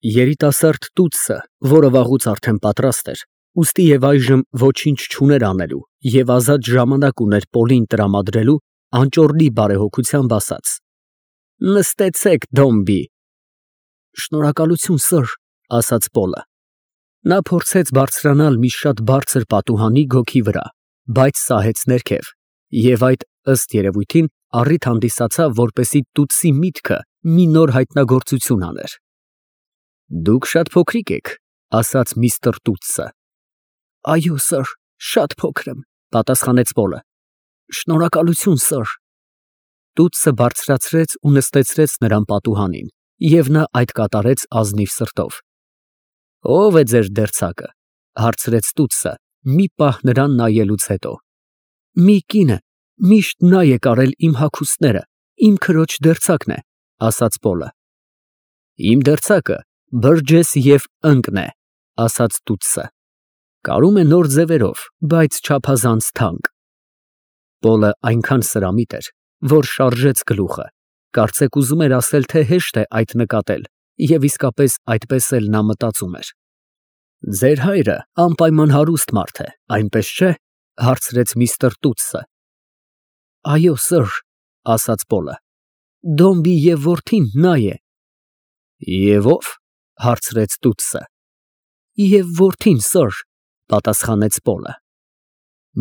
Երիտասարդ տուտսը, որը վաղուց արդեն պատրաստ էր, ուստի և այժմ ոչինչ չուներ անելու և ազատ ժամանակ ուներ Պոլին տրամադրելու, անճոռնի բարեհոգությամբ ասաց. Նստեցեք, Դոմբի։ Շնորհակալություն, սըր, ասաց Պոլը։ Նա փորձեց բարձրանալ մի շատ բարձր պատուհանի գոգի վրա, բայց սահեց ներքև, և այդ, ըստ երևույթին, առիթ հանդիսացավ, որպեսզի տուտսի միտքը մի նոր հայտնագործություն աներ։ Դուք շատ փոքրիկ եք, ասաց միստր Տուտսը։ Այո, սըր, շատ փոքր եմ, պատասխանեց Պոլը։ Շնորհակալություն, սըր։ Տուտսը բարձրացրեց ու նստեցրեց նրան պատուհանին, և նա այդ կատարեց ազնիվ սրտով։ Ո՞վ է ձեր դերձակը, հարցրեց տուտսը, մի պահ նրան նայելուց հետո։ Մի կին է, միշտ նա է կարել իմ հագուստները, իմ քրոջ դերձակն է, ասաց Պոլը։ Իմ դերձակը բրջես և ընկն է, ասաց տուտսը։ Կարում է նոր ձևերով, բայց չափազանց թանկ։ Պոլը այնքան սրամիտ էր, որ շարժեց գլուխը, կարծեք ուզում էր ասել, թե հեշտ է այդ նկատել, և իսկապես այդպես էլ նա մտածում էր։ Ձեր հայրը անպայման հարուստ մարդ է, այնպես չէ, հարցրեց միստր Տուտսը։ Այո, սըր, ասաց Պոլը։ Դոմբի և որդին նա է։ Եվ ով, հարցրեց տուտսը։ Եվ որդին, սըր, պատասխանեց Պոլը։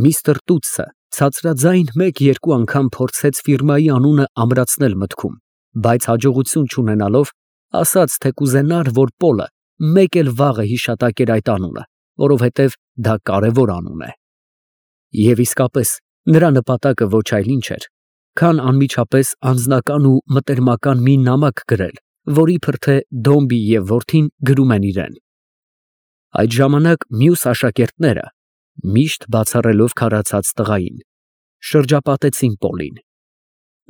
Միստր Տուտսը ցածրաձայն մեկ-երկու անգամ փորձեց ֆիրմայի անունը ամրացնել մտքում, բայց հաջողություն չունենալով, ասաց, թե կուզենար, որ Պոլը մեկ էլ վաղը հիշատակեր այդ անունը, որովհետև դա կարևոր անուն է։ Եվ իսկապես, նրա նպատակը ոչ այլ ինչ էր, քան անմիջապես անձնական ու մտերմական մի նամակ գրել, որ իբր թե Դոմբի և որդին գրում են իրեն։ Այդ ժամանակ մյուս աշակերտները, միշտ բացառելով քարացած տղային, շրջապատեցին Պոլին։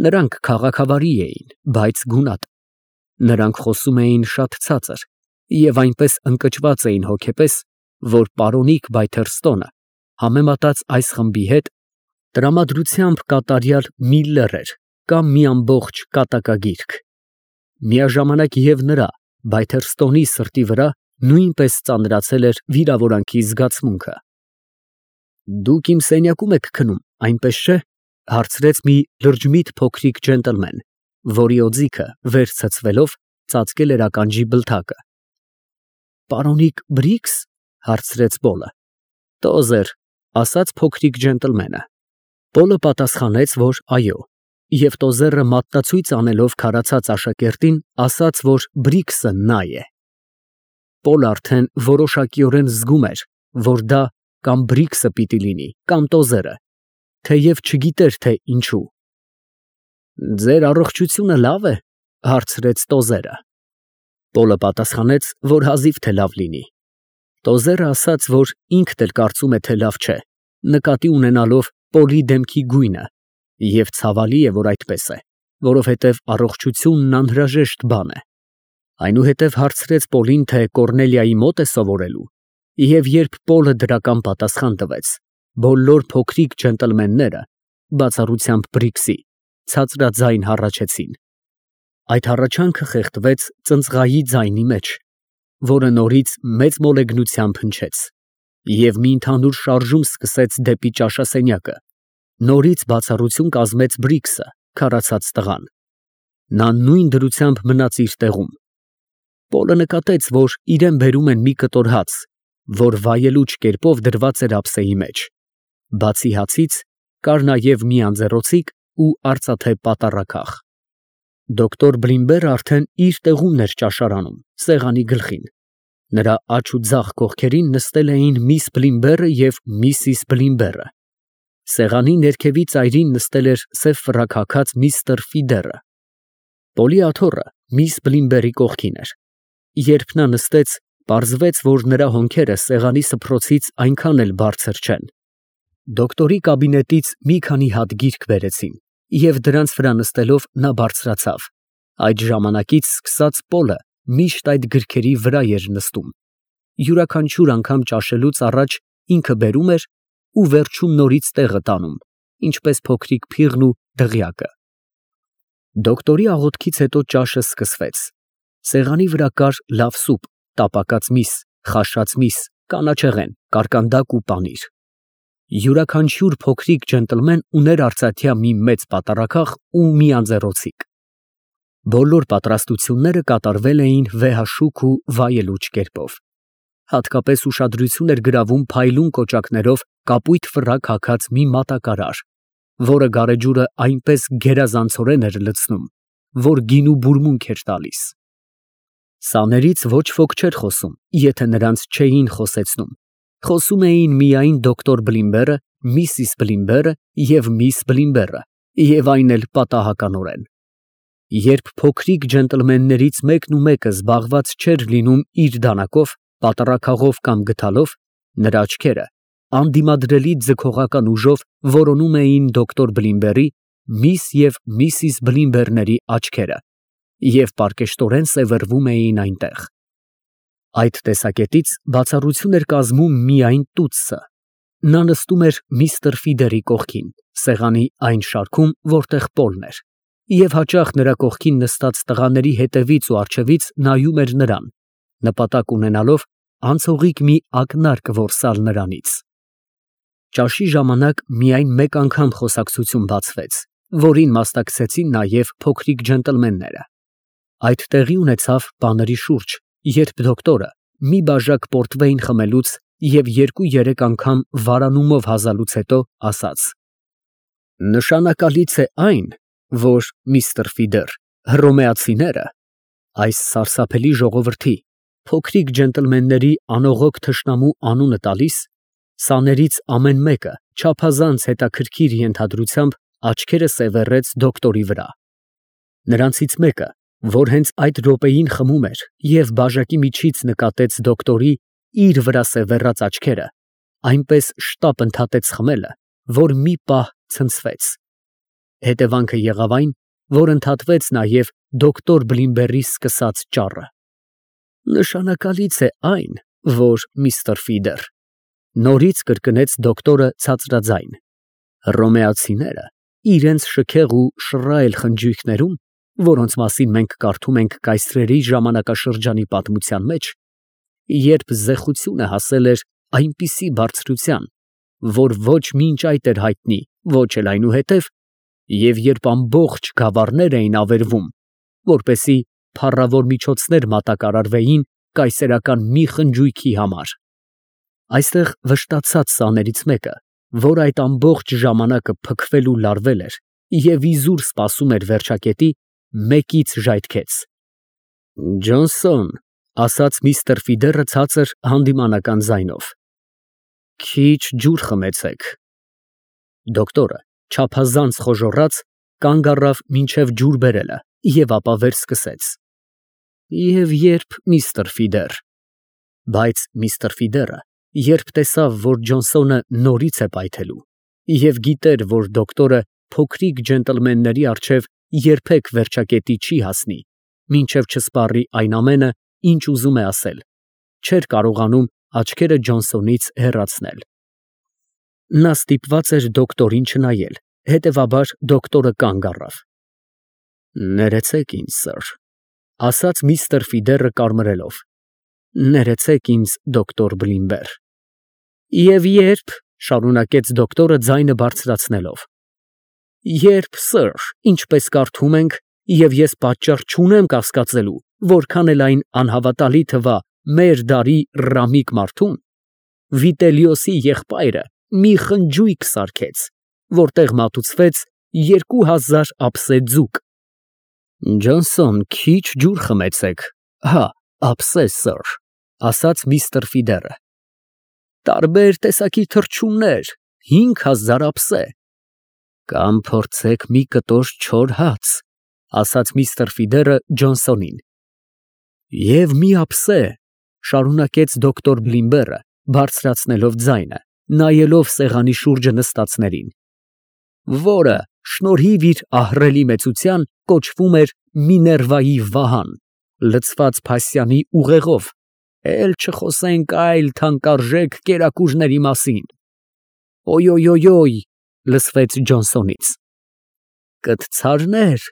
Նրանք քաղաքավարի էին, բայց գունատ։ Նրանք խոսում էին շատ ցածր և այնպես ընկճված էին հոգեպես, որ պարոնիկ Բայթերստոնը, համեմատած այս խմբի հետ, տրամադրությամբ կատարյալ մի լեռ էր կամ մի ամբողջ կատակագիրք։ Միաժամանակ և նրա, Բայթերստոնի սրտի վրա նույնպես ծանրացել էր վիրավորանքի զգացմունքը։ Դուք իմ սենյակում եք քնում, այնպես չէ, հարցրեց մի լրջմիտ փոքրիկ ջենտլմեն, որի օձիքը վեր ցցվելով ծածկել էր ականջի բլթակը։ Պարոնիկ Բրիքս, հարցրեց Պոլը։ Տոզեր, ասաց փոքրիկ ջենտլմենը։ Պոլը պատասխանեց, որ այո, և տոզերը մատնացույց անելով քարացած աշակերտին, ասաց, որ Բրիքսը նա է։ Պոլը արդեն որոշակիորեն զգում էր, որ դա կամ Բրիքսը պիտի լինի, կամ տոզերը, թեև չգիտեր, թե ինչու։ Ձեր առողջությունը լավ է, հարցրեց տոզերը։ Պոլը պատասխանեց, որ հազիվ թե լավ լինի։ Տոզերը ասաց, որ ինքն էլ կարծում է, թե լավ չէ, նկատի ունենալով Պոլի դեմքի գույնը, և ցավալի է, որ այդպես է, որովհետև առողջությունն անհրաժեշտ բան է։ Այնուհետև հարցրեց Պոլին, թե Կոռնելիայի մոտ է սովորելու, և երբ Պոլը դրական պատասխան տվեց, բոլոր փոքրիկ ջենտլմենները, բացառությամբ Բրիքսի, ցածրաձայն հառաչեցին։ Այդ հառաչանքը խեղդվեց ծնծղայի ձայնի մեջ, որը նորից մեծ մոլեգնությամբ հնչեց, և մի ընդհանուր շարժում սկսեց դեպի ճաշասենյակը։ Նորից բացառություն կազմեց Բրիքսը, քարացած տղան։ Նա նույն դրությամբ մնաց իր տեղում։ Պոլը նկատեց, որ իրան բերում են մի կտոր հաց, որ վայելուչ կերպով դրված էր ափսեի մեջ։ Բացի հացից, կար նաև մի անձեռոցիկ ու արծաթե պատառաքաղ։ Դոկտոր Բլիմբերը արդեն իր տեղումն էր ճաշարանում, սեղանի գլխին։ Նրա աջ ու ձախ կողքերին նստել էին միս Բլիմբերը և միսիս Բլիմբերը։ Սեղանի ներքևի ծայրին նստել էր սև ֆրակ հագած միստր Ֆիդերը։ Պոլի աթոռը միս Բլիմբերի կողքին էր։ Երբ նա նստեց, պարզվեց, որ նրա հոնքերը սեղանի սփռոցից այնքան էլ բարձր չեն։ Դոկտորի կաբինետից մի քանի հատ գիրք բերեցին, և դրանց վրա նստելով նա բարձրացավ։ Այդ ժամանակից սկսած Պոլը միշտ այդ գրքերի վրա էր նստում։ Յուրաքանչյուր անգամ ճաշելուց առաջ ինքը բերում էր ու վերջում նորից տեղը տանում, ինչպես փոքրիկ փիղն ու դղյակը։ Դոկտորի աղոթքից հետո ճաշը սկսվեց։ Սեղանի վրա կար լավ սուպ, տապակած միս, խաշած միս, կանաչեղեն, կարկանդակ ու պանիր։ Յուրաքանչյուր փոքրիկ ջենտլմեն ուներ արծաթյա մի մեծ պատառաքաղ ու մի անձեռոցիկ։ Բոլոր պատրաստությունները կատարվել էին վեհաշուք ու վայելուչ կերպով։ Հատկապես ուշադրություն էր գրավում փայլուն կոճակներով կապույտ ֆրակ հագած մի մատակարար, որը գարեջուրը այնպես գերազանցորեն էր լցնում, որ գինու բուրմունք էր տալիս։ Սաներից ոչ ոք չէր խոսում, եթե նրանց չէին խոսեցնում։ Խոսում էին միայն դոկտոր Բլիմբերը, միսիս Բլիմբերը և միս Բլիմբերը, և այն էլ պատահականորեն։ Երբ փոքրիկ ջենտլմեններից մեկն ու մեկը զբաղված չէր լինում իր դանակով, պատառաքաղով կամ գդալով, նրա աչքերը անդիմադրելի ձգողական ուժով որոնում էին դոկտոր Բլիմբերի, միս և միսիս Բլիմբերների աչքերը և պարկեշտորեն սևեռվում էին այնտեղ։ Այդ տեսակետից բացառություն էր կազմում միայն տուտսը։ Նա նստում էր միստր Ֆիդերի կողքին, սեղանի այն շարքում, որտեղ Պոլն էր, և հաճախ նրա կողքին նստած տղաների հետևից ու առջևից նայում էր նրան, նպատակ ունենալով անցողիկ մի ակնարկ որսալ նրանից։ Ճաշի ժամանակ միայն մեկ անգամ խոսակցություն բացվեց, որին մասնակցեցին նաև փոքրիկ ջենտլմենները։ Այդ տեղի ունեցավ բաների շուրջ, երբ դոկտորը մի բաժակ պորտվեյն խմելուց և 2-3 անգամ վարանումով հազալուց հետո ասաց. Նշանակալից է այն, որ միստր Ֆիդեր, հռոմեացիները, այս սարսափելի ժողովրդի, փոքրիկ ջենտլմենների անողոք թշնամու անունը տալիս, սաներից ամեն մեկը չափազանց հետաքրքիր ենթադրությամբ աչքերը սևեռեց դոկտորի վրա։ Նրանցից մեկը, որ հենց այդ րոպեին խմում էր և բաժակի միջից նկատեց դոկտորի իր վրա սևեռած աչքերը, այնպես շտապ ընդհատեց խմելը, որ մի պահ ցնցվեց։ Հետևանքը եղավ այն, որ ընդհատվեց նաև դոկտոր Բլիմբերի սկսած ճառը։ Նշանակալից է այն, որ միստր Ֆիդեր, նորից կրկնեց դոկտորը ցածրաձայն, հռոմեացիները իրենց շքեղ ու շռայլ խնջույքներում, որոնց մասին մենք կարդում ենք կայսրերի ժամանակաշրջանի պատմության մեջ, երբ զեխությունը հասել էր այնպիսի բարձրության, որ ոչ մինչ այդ էր հայտնի, ոչ էլ այնուհետև, և երբ ամբողջ գավառներ էին ավերվում, որպեսզի փառավոր միջոցներ մատակարարվեին կայսերական մի խնջույքի համար։ Այստեղ վշտացած սաներից մեկը, որ այդ ամբողջ ժամանակը փքվել ու լարվել էր և իզուր սպասում էր վերջակետի, մեկից ժայթքեց. Ջոնսոն, ասաց միստր Ֆիդերը ցածր հանդիմանական ձայնով, քիչ ջուր խմեցեք։ Դոկտորը չափազանց խոժոռաց կանգ առավ մինչև ջուր բերելը և ապա վեր սկսեց. Եվ երբ միստր Ֆիդեր, բայց միստր Ֆիդերը, երբ տեսավ, որ Ջոնսոնը նորից է պայթելու և գիտեր, որ դոկտորը փոքրիկ ջենտլմենների առջև երբեք վերջակետի չի հասնի, մինչև չսպառի այն ամենը, ինչ ուզում է ասել, չէր կարողանում աչքերը Ջոնսոնից հեռացնել։ Նա ստիպված էր դոկտորին չնայել, հետևաբար դոկտորը կանգ առավ։ Ներեցեք ինձ, սըր, ասաց միստր Ֆիդերը կարմրելով, ներեցեք ինձ, դոկտոր Բլիմբեր։ Եվ երբ, շարունակեց դոկտորը ձայնը բարձրացնելով, երբ, սըր, ինչպես կարդում ենք, և ես պատճառ չունեմ կասկածելու, որքան էլ այն անհավատալի թվա մեր դարի ռամիկ մարդուն, Վիտելիոսի եղբայրը մի խնջույք սարքեց, որտեղ մատուցվեց 2000 ափսե ձուկ։ Ջոնսոն, քիչ ջուր խմեցեք, հա, ափսե, սըր, ասաց միստր Ֆիդերը։ Տարբեր տեսակի թռչուններ, 5000 ափսե։ Կամ փորձեք մի կտոր չոր հաց, ասաց միստր Ֆիդերը Ջոնսոնին։ Եվ մի ափսե, շարունակեց դոկտոր Բլիմբերը, բարձրացնելով ձայնը, նայելով սեղանի շուրջը նստածներին, որը, շնորհիվ իր ահռելի մեծության, կոչվում էր Միներվայի վահան, լցված փասյանի ուղեղով, էլ չխոսենք այլ թանկարժեք կերակուրների մասին։ Օյ, լսվեց Ջոնսոնից։ Կտցարներ,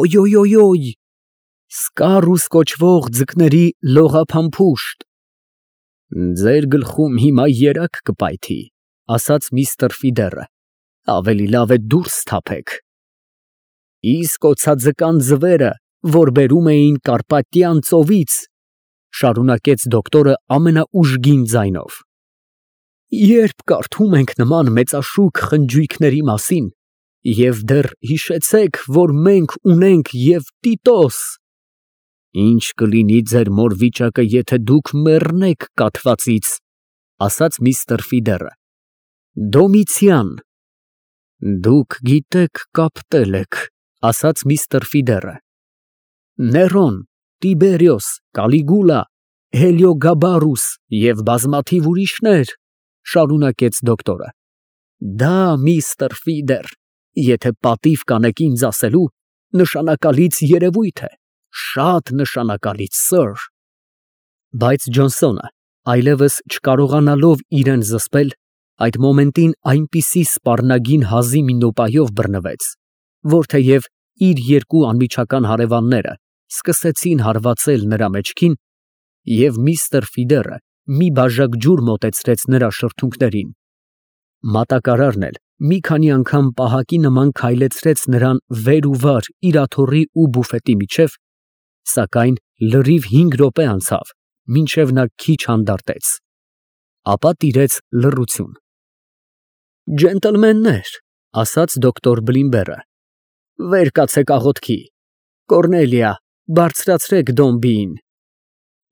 օյ, Սկարուս կոչվող ձկների լողափամփուշտ։ Ձեր գլխում հիմա երակ կպայթի, ասաց միստր Ֆիդերը, ավելի լավ է դուրս թափեք։ Իսկ օձաձկան ձվերը, որ բերում էին Կարպատյան ծովից, շարունակեց դոկտորը ամենաուժգին ձայնով։ Երբ կարդում ենք նման մեծաշուք խնջույքների մասին, և դեռ հիշեցեք, որ մենք ունենք և Տիտոս, ինչ կլինի ձեր մոր վիճակը, եթե դուք մեռնեք կաթվածից, ասաց միստր Ֆիդերը։ Դոմիցիան։ Դուք գիտեք կապտել եք, ասաց միստր Ֆիդերը։ Ներոն, Տիբերիոս, Կալիգուլա, Հելիոգաբարուս և բազմաթիվ ուրիշներ, շարունակեց դոկտորը։ Դա, միստր Ֆիդեր, եթե պատիվ կանեք ինձ ասելու, նշանակալից երևույթ է, շատ նշանակալից, սըր։ Բայց Ջոնսոնը, այլևս չկարողանալով իրեն զսպել, այդ մոմենտին այնպիսի սպառնագին հազի մի նոպայով բռնվեց, որ թեև իր երկու անմիջական հարևանները սկսեցին հարվածել նրա մեջքին, և միստր Ֆիդերը մի բաժակ ջուր մոտեցրեց նրա շրթունքներին, մատակարարն էլ մի քանի անգամ պահակի նման քայլեցրեց նրան վեր ու վար իր աթոռի ու բուֆետի միջև, սակայն լրիվ 5 րոպե անցավ, մինչև նա քիչ հանդարտեց, ապա տիրեց լռություն։ Ջենտլմեններ, ասաց դոկտոր Բլիմբերը, վեր կացեք աղոթքի, Կոռնելիա, բարձրացրեք դոմբիին։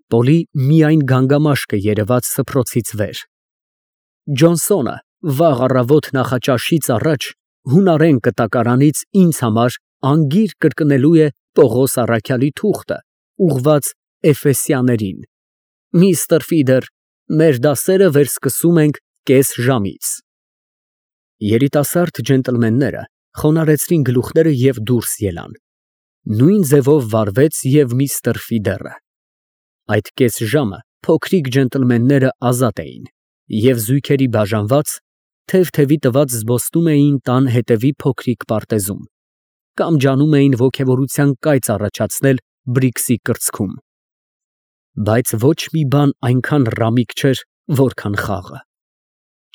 Պոլի միայն գանգամաշկը երևաց սփռոցից վեր։ Ջոնսոնը վաղ առավոտ նախաճաշից առաջ հունարեն կտակարանից ինձ համար անգիր կրկնելու է Պողոս առաքյալի թուղթը, ուղղված Էֆեսյաններին։ Միստր Ֆիդեր, մեր դասերը վերսկսում ենք կես ժամից։ Երիտասարդ ջենտլմենները խոնարհեցրին գլուխները և դուրս ելան։ Նույն ձևով վարվեց և միստր Ֆիդերը։ Այդ կես ժամը փոքրիկ ջենտլմենները ազատ էին և զույգերի բաժանված, թև-թևի տված զբոսնում էին տան հետևի փոքրիկ պարտեզում, կամ ջանում էին ոգևորության կայծ առաջացնել Բրիքսի կրծքում։ Բայց ոչ մի բան այնքան ռամիկ չէր, որքան խաղը։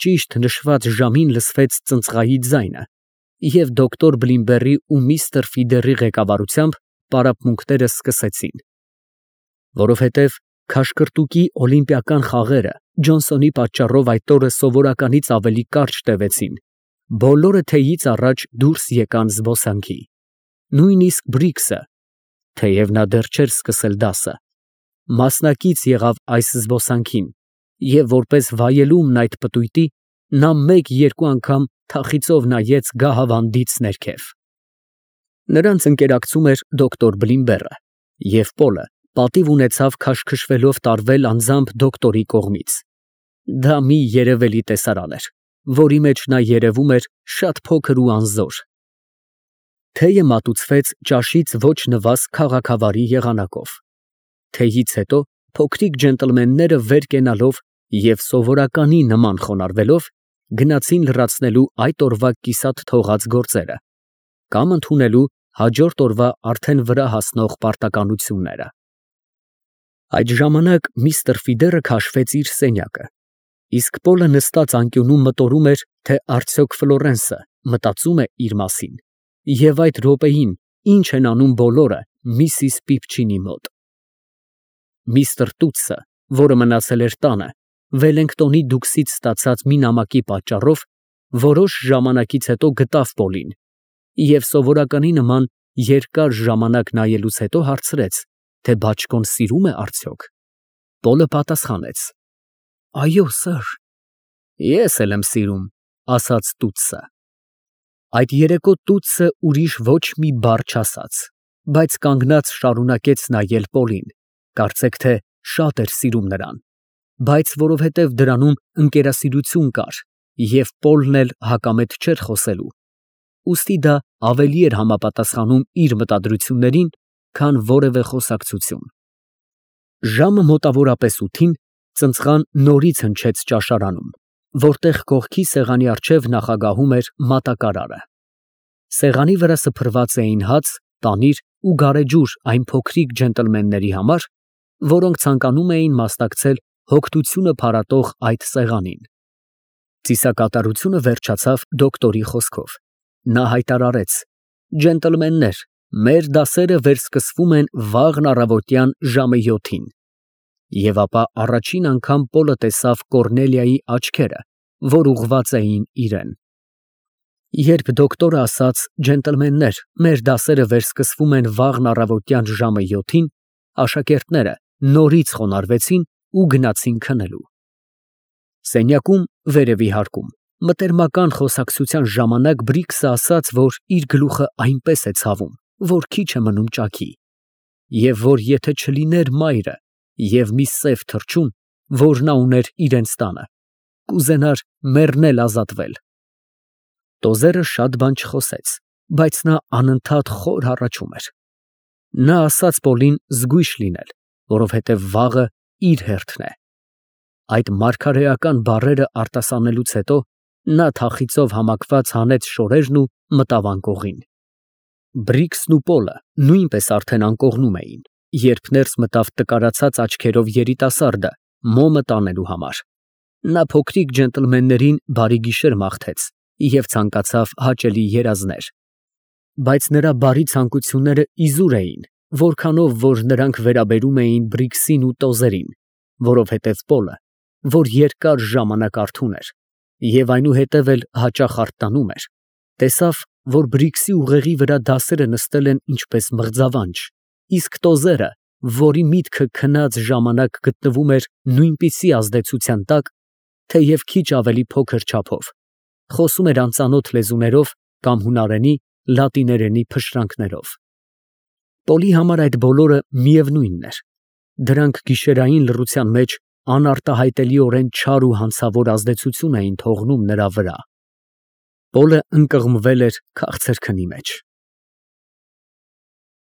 Ճիշտ նշված ժամին լսվեց ծնծղայի ձայնը, և դոկտոր Բլիմբերի ու միստր Ֆիդերի ղեկավարությամբ պարապմունքները սկսեցին։ Որովհետև քաշքրտուկի օլիմպիական խաղերը Ջոնսոնի պատճառով այդ օրը սովորականից ավելի կարճ տևեցին, բոլորը թեյից առաջ դուրս եկան զբոսանքի։ Նույնիսկ Բրիքսը, թեև նա դեռ չէր սկսել դասը, մասնակից եղավ այս զբոսանքին, և որպես վայելումն այդ պտույտի, նա մեկ֊երկու անգամ թախիծով նայեց գահավանդից ներքև։ Նրանց ընկերակցում էր դոկտոր Բլիմբերը, և Պոլը պատիվ ունեցավ քաշքշվելով տարվել անձամբ դոկտորի կողմից։ Դա մի երևելի տեսարան էր, որի մեջ նա երևում էր շատ փոքր ու անզոր։ Թեյը մատուցվեց ճաշից ոչ նվազ քաղաքավարի եղանակով։ Թեյից հետո փոքրիկ ջենտլմենները վեր կենալով և սովորականի նման խոնարհվելով, գնացին լրացնելու այդ օրվա կիսատ թողած գործերը, կամ ընդունելու հաջորդ օրվա արդեն վրա հասնող պարտականությունները։ Այդ ժամանակ միստր Ֆիդերը քաշվեց իր սենյակը, իսկ Պոլը նստած անկյունում մտորում էր, թե արդյոք Ֆլորենսը մտածում է իր մասին, և այդ րոպեին ինչ են անում բոլորը միսիս Պիպչինի մոտ։ Միստր Տուտսը, որը մնացել էր տանը, Վելլինգտոնի դուքսից ստացած մի նամակի պատճառով, որոշ ժամանակից հետո գտավ Պոլին և սովորականի նման երկար ժամանակ նայելուց հետո հարցրեց, թե բաճկոն սիրում է արդյոք։ Պոլը պատասխանեց. Այո, սըր։ Ես էլ եմ սիրում, ասաց Տուտսը։ Այդ երեկո Տուտսը ուրիշ ոչ մի բառ չասաց, բայց կանգնած շարունակեց նայել Պոլին, կարծեք թե շատ էր սիրում նրան, բայց որովհետև դրանում ընկերասիրություն կար, և Պոլն էլ հակամետ չէր խոսելու, ուստի դա ավելի էր համապատասխանում իր մտադրություններին, քան որևէ խոսակցություն։ Ժամը մոտավորապես 8-ին ծնծղան նորից հնչեց ճաշարանում, որտեղ կողքի սեղանի առջև նախագահում էր մատակարարը։ Սեղանի վրա սփռված էին հաց, պանիր ու գարեջուր այն փոքրիկ ջենտլմենների համար, որոնք ցանկանում էին մասնակցել հոգտությունը փարատող այդ սեղանին։ Ծիսակատարությունը վերջացավ դոկտորի խոսքով։ Նա հայտարարեց. «Ջենտլմեններ, մեր դասերը վերսկսվում են վաղն առավոտյան ժամը 7-ին»։ Եվ ապա առաջին անգամ Պոլը տեսավ Կոռնելիայի աչքերը, որ ուղղված էին իրան։ Երբ դոկտորը ասաց. «Ջենտլմեններ, մեր դասերը վերսկսվում են վաղն առավոտյան ժամը 7-ին», աշակերտները նորից խոնարհվեցին ու գնացին քնելու։ Սենյակում, վերևի հարկում, մտերմական խոսակցության ժամանակ Բրիքսը ասաց, որ իր գլուխը այնպես է ցավում, որ քիչ է մնում ճաքի, և որ եթե չլիներ մայրը և մի սև թռչուն, որ նա ուներ իրենց տանը, կուզենար մեռնել ազատվել։ Տոզերը շատ բան չխոսեց, բայց նա անընդհատ խոր հառաչում էր։ Նա ասաց Պոլին զգույշ լինել, որովհետև վաղը իր հերթն է։ Այդ մարգարեական բառերը արտասանելուց հետո նա թախիծով համակված հանեց շորերն ու մտավ անկողին։ Բրիքսն ու Պոլը նույնպես արդեն անկողնում էին, երբ ներս մտավ տկարացած աչքերով երիտասարդը մոմը տանելու համար։ Նա փոքրիկ ջենտլմեններին բարի գիշեր մաղթեց և ցանկացավ հաճելի երազներ։ Բայց նրա բարի ցանկությունները իզուր էին, որքանով որ նրանք վերաբերում էին Բրիքսին ու Տոզերին, որովհետև Պոլը, որ երկար ժամանակ արթուն էր և այնուհետև էլ հաճախ արթնանում էր, տեսավ, որ Բրիքսի ուղեղի վրա դասերը նստել են ինչպես մղձավանջ, իսկ Տոզերը, որի միտքը քնած ժամանակ գտնվում էր նույնպիսի ազդեցության տակ, թեև քիչ ավելի փոքր չափով, խոսում էր անծանոթ լեզուներով կամ հունարենի, լատիներենի փշրանքներով։ Պոլի համար այդ բոլորը միևնույնն էր, դրանք գիշերային լռության մեջ անարտահայտելիորեն չար ու հանցավոր ազդեցություն էին թողնում նրա վրա։ Պոլը ընկղմվել էր քաղցր քնի մեջ։